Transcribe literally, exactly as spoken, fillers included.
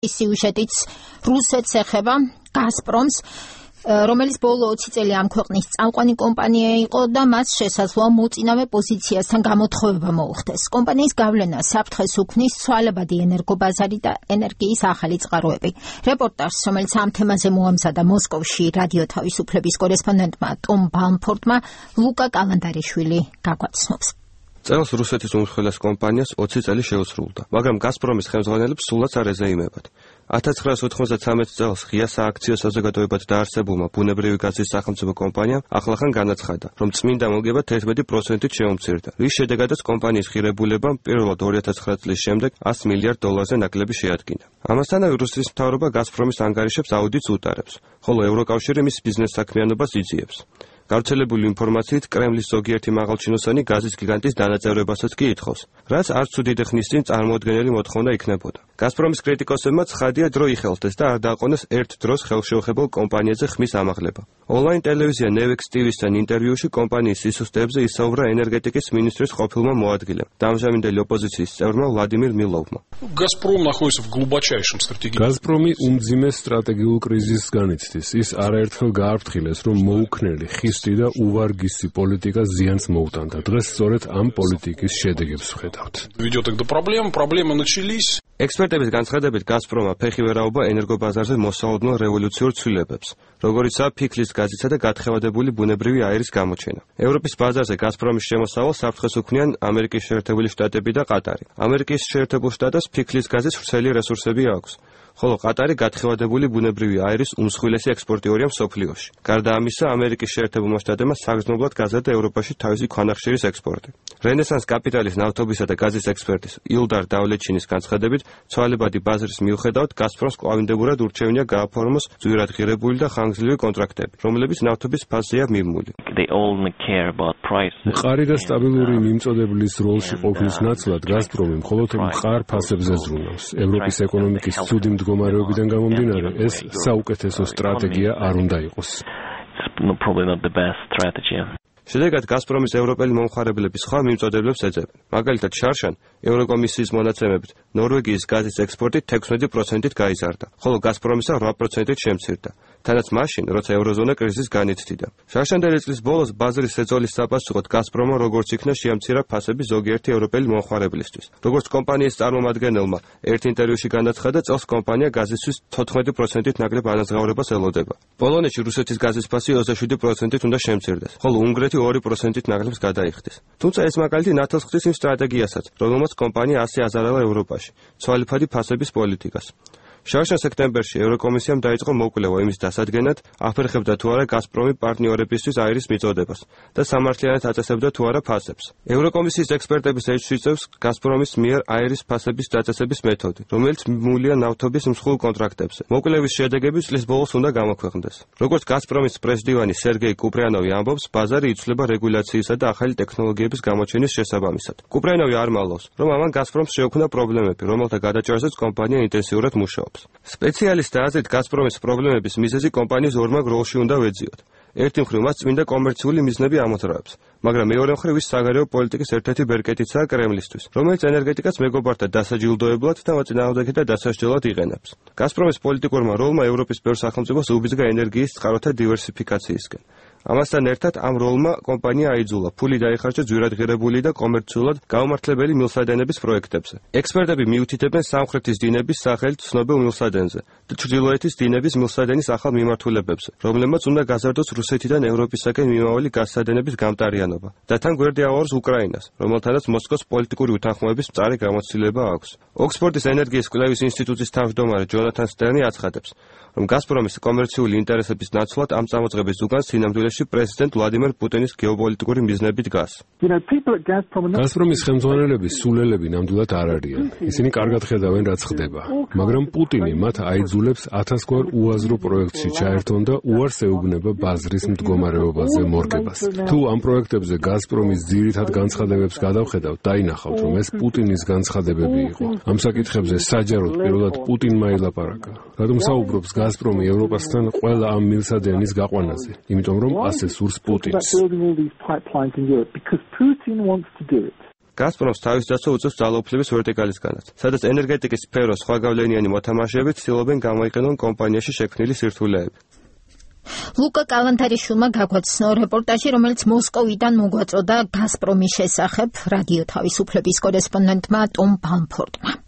სიუჟეტიც რუსეთს ეხება, გაზპრომს, რომელიც ბოლო ოცი წელი ამ ქვეყნის წამყვანი კომპანია იყო და მას შესაძლოა მოწინავე პოზიციასთან გამოთხოვება მოუხდეს. კომპანიის გავლენა საფრთხეს უქმნის ცვალებადი ენერგობაზარი და ენერგიის ახალი წყაროები. რეპორტაჟს, რომელიც ამ თემაზე მოამზადა მოსკოვში რადიო თავისუფლების კორესპონდენტმა ტომ ბალმფორდმა, ლუკა კალანდარიშვილი გაგვაცნობს. წელს რუსეთის უმსხვილეს კომპანიას ოცი წელი შეუსრულდა, მაგრამ გაზპრომის ხელმძღვანელებს სულაც არ ეზეიმებათ. ათას ცხრაას ოთხმოცდათვრამეტ წელს ღია სააქციო საზოგადოებად დაარსებულმა ბუნებრივი გაზის სახელმწიფო კომპანიამ ახლახან განაცხადა, რომ წმინდა მოგება თერთმეტი პროცენტით შეუმცირდა, რის შედეგადაც კომპანიის ღირებულებამ პირველად ორი ათას ცხრა წლის შემდეგ ას მილიარდ დოლარზე ნაკლები შეადგინა. ამასთანავე რუსეთის მთავრობა გაზპრომის ანგარიშებს აუდიტს უტარებს, ხოლო ევროკავშირი მის ბიზნეს საქმიანობას იძიებს. გავრცელებული ინფორმაციით კრემლის ზოგიერთი მაღალჩინოსანი გაზის გიგანტის დანაწევრებასაც კი ითხოვს, რაც არც უდიდე ხნის წინ წარმოუდგენელი მოთხოვნა იქნებოდა. გაზპრომის კრიტიკოსებმა ცხადია დრო იხელთეს და არ დააყონეს ერთ დროს ხელშეუხებელ კომპანიაზე ხმის ამაღლება. ონლაინ ტელევიზია ნევექს ტივისთან ინტერვიუში კომპანიის სისუსტეებზე ისაუბრა ენერგეტიკის მინისტრის ყოფილმა მოადგილემ, დამჟამინდელი ოპოზიციის წევრმა ვლადიმირ მილოვმა. გაზპრომი უმძიმე სტრატეგიულ კრიზისს განიცდის. ის არაერთხელ გააფრთხილეს, რომ მოუქნელი ხისტი და უვარგისი პოლიტიკა ზიანს მოუტანდა. დღეს სწორედ ამ პოლიტიკის შედეგებს ვხედავთ. ექსპერტების განცხადებით, გაზპრომა ფეხი ვერ აუღა ენერგობაზარზე მოსალოდნელ რევოლუციურ ცვლილებებს, როგორიცაა ფიქლის გაზისა და გათხევადებული ბუნებრივი აირის გამოჩენა. ევროპის ბაზარზე გაზპრომის შემოსავალს საფრთხეს უქმნიან ამერიკის შეერთებული შტატები და ყატარი. ამერიკის შეერთებულ შტატებს ფიქლის გაზის ვრცელი რესურსები აქვს, ხოლო ყატარი გათხევადებული ბუნებრივი აირის უმსხვილესი ექსპორტიორია მსოფლიოში. გარდა ამისა, ამერიკის შეერთებულმა შტატებმა საგრძნობლად გაზარდა ევროპაში თავისი ქვანახშირის ექსპორტი. რენესანს კაპიტალის ნავთობისა და გაზის ექსპერტის ილდარ დავლეჩინის განცხადებით, ცვალებადი ბაზრის მიუხედავად, გაზპრომს კვლავინდებურად ურჩევნია გააფორმოს ძვირად ღირებული და ხანგრძლივი კონტრაქტები, რომლებიც ნავთობის ფაზზეა მიმმული. მყარი და სტაბილური მიმწოდებლის როლში ყოფნის ნაცვლად გაზპრომი მხოლოდ მყარ ფასებზე ზრუნავს. ევროპის ეკონომიკის ცუდი მდგომარეობიდან გამომდინარე, ეს საუკეთესო სტრატეგია არ უნდა იყოს. შედეგად გაზპრომის ევროპელი მომხმარებლები სხვა მიმწოდებლებს ეძებენ. მაგალითად, შარშან ევროკომისიის მონაცემებით ნორვეგიის გაზის ექსპორტი თექვსმეტი პროცენტით გაიზარდა, ხოლო გაზპრომისა რვა პროცენტით შემცირდა. თანაც მაშინ, როცა ევროზონა კრიზისს განიცდიდა. შარშანდელი წლის ბოლოს ბაზრის ეწოლის საპასუხოდ გაზპრომმა როგორც იქნა შეამცირა ფასები ზოგიერთი ევროპელი მომხმარებლისთვის. როგორც კომპანიის წარმომადგენელმა ერთ ინტერვიუში განაცხადა, წელს კომპანია გაზისთვის თოთხმეტი პროცენტით ნაკლებ ანაზღაურებას ელოდება. პოლონეთში რუსეთის გაზის ფასი ოცდაშვიდი პროცენტით უნდა შემცირდეს, ხოლო უნგრეთი ორი პროცენტით ნაკლებს გადაიხდეს. თუმცა ეს მაგალითი ნათელს ხდის იმ სტრატეგიასაც, რომელმაც კომპანია ასე აზარალა ევროპაში, ცვალებადი ფასების პოლიტიკას. შარშან სექტემბერში ევროკომისიამ დაიწყო მოკვლევა იმის დასადგენად, აფერხებდა თუ არა გაზპრომი პარტნიორებისთვის აირის მიწოდებას და სამართლიანად აწესებდა თუ არა ფასებს. ევროკომისიის ექსპერტების ეჭვს იწევს გაზპრომის მიერ აირის ფასების დაწესების მეთოდი, რომელიც მიმულია ნავთობის მსხვილ კონტრაქტებზე. მოკვლევის შედეგები წლის ბოლოს უნდა გამოქვეყნდეს. როგორც გაზპრომის პრესდივანი სერგეი კუპრიანოვი ამბობს, ბაზარი იცვლება რეგულაციისა და ახალი ტექნოლოგიების გამოჩენის შესაბამისად. კუპრიანოვი არ მალავს, რომ ამან გაზპრომს შეუქმნა პრობლემები, რომელთა გადაჭრაზეც კომპანია ინტენსიურად მუშაობს. სპეციალისტთა აზრით, გაზპრომის პრობლემების მიზეზი კომპანიის ორმაგ როლში უნდა ვეძიოთ. ერთი მხრივ მას წმინდა კომერციული მიზნები ამოძრავებს, მაგრამ მეორე მხრივ ის საგარეო პოლიტიკის ერთ-ერთი ბერკეტიცაა კრემლისთვის, რომელიც ენერგეტიკას მეგობართა დასაჯილდოებლად და მოწინააღმდეგეთა დასასჯელად იყენებს. გაზპრომის პოლიტიკურმა როლმა ევროპის ბევრ სახელმწიფოს უბიძგა ენერგიის წყაროთა დივერსიფიკაციისკენ. ამასთან ერთად ამ როლმა კომპანია აიძულა ფული დაიხარჯა ძვირად ღირებული და კომერციულად გაუმართლებელი მილსადენების პროექტებზე. ექსპერტები მიუთითებენ სამხრეთის დინების სახელით ცნობილ მილსადენზე და ჩრდილოეთის დინების მილსადენის ახალ მიმართულებებზე, რომლებმაც უნდა გაზარდოს რუსეთიდან ევროპისაკენ მიმავალი გაზსადენების გამტარიანობა და თან გვერდი აუარს უკრაინას, რომელთანაც მოსკოვს პოლიტიკური უთანხმოების მწარე გამოცდილება აქვს. ოქსფორდის ენერგიის კვლევის ინსტიტუტის თავმჯდომარე ჯონათან სტერნი აცხადებს, რომ გაზპრომის კომერციული ინტერესების ნაცვლად ამ წამოწყების ზუგანს სინამდვილეში პრეზიდენტ ვლადიმერ პუტინის გეოპოლიტიკური მიზნები დგას. გაზპრომის ხელმძღვანელების სულელები ნამდვილად არ არიან. ისინი კარგად ხედავენ, რაც ხდება, მაგრამ პუტინი მათ აიძულებს ათასგვარ უაზრო პროექტში ჩაერთონ და უარს ეუბნება ბაზრის მდგომარეობაზე მორგებას. თუ ამ პროექტებზე გაზპრომის ძირითად განცხადებებს გადავხედავთ, დაინახავთ, რომ ეს პუტინის განცხადებები იყო. ამ საკითხებზე საჯაროდ პირველად პუტინმა ელაპარაკა. რადგან საუბრობს გაზპრომი ევროპასთან ყველა ამ მილსადენის გაყვანაზე, იმიტომ რომ ასე სურს პუტინს. გაზპრომს თავის დაცვა უწევს ძალაუფლების ვერტიკალისგანაც, სადაც ენერგეტიკის სფეროს სხვა გავლენიანი მოთამაშეები ცდილობენ გამოიყენონ კომპანიაში შექმნილი სირთულეები. ლუკა კალანთარიშვილმა გაგვაცნო რეპორტაჟი, რომელიც მოსკოვიდან მოგვაწოდა გაზპრომის შესახებ რადიო თავისუფლების კორესპონდენტმა ტომ ბალმფორდმა.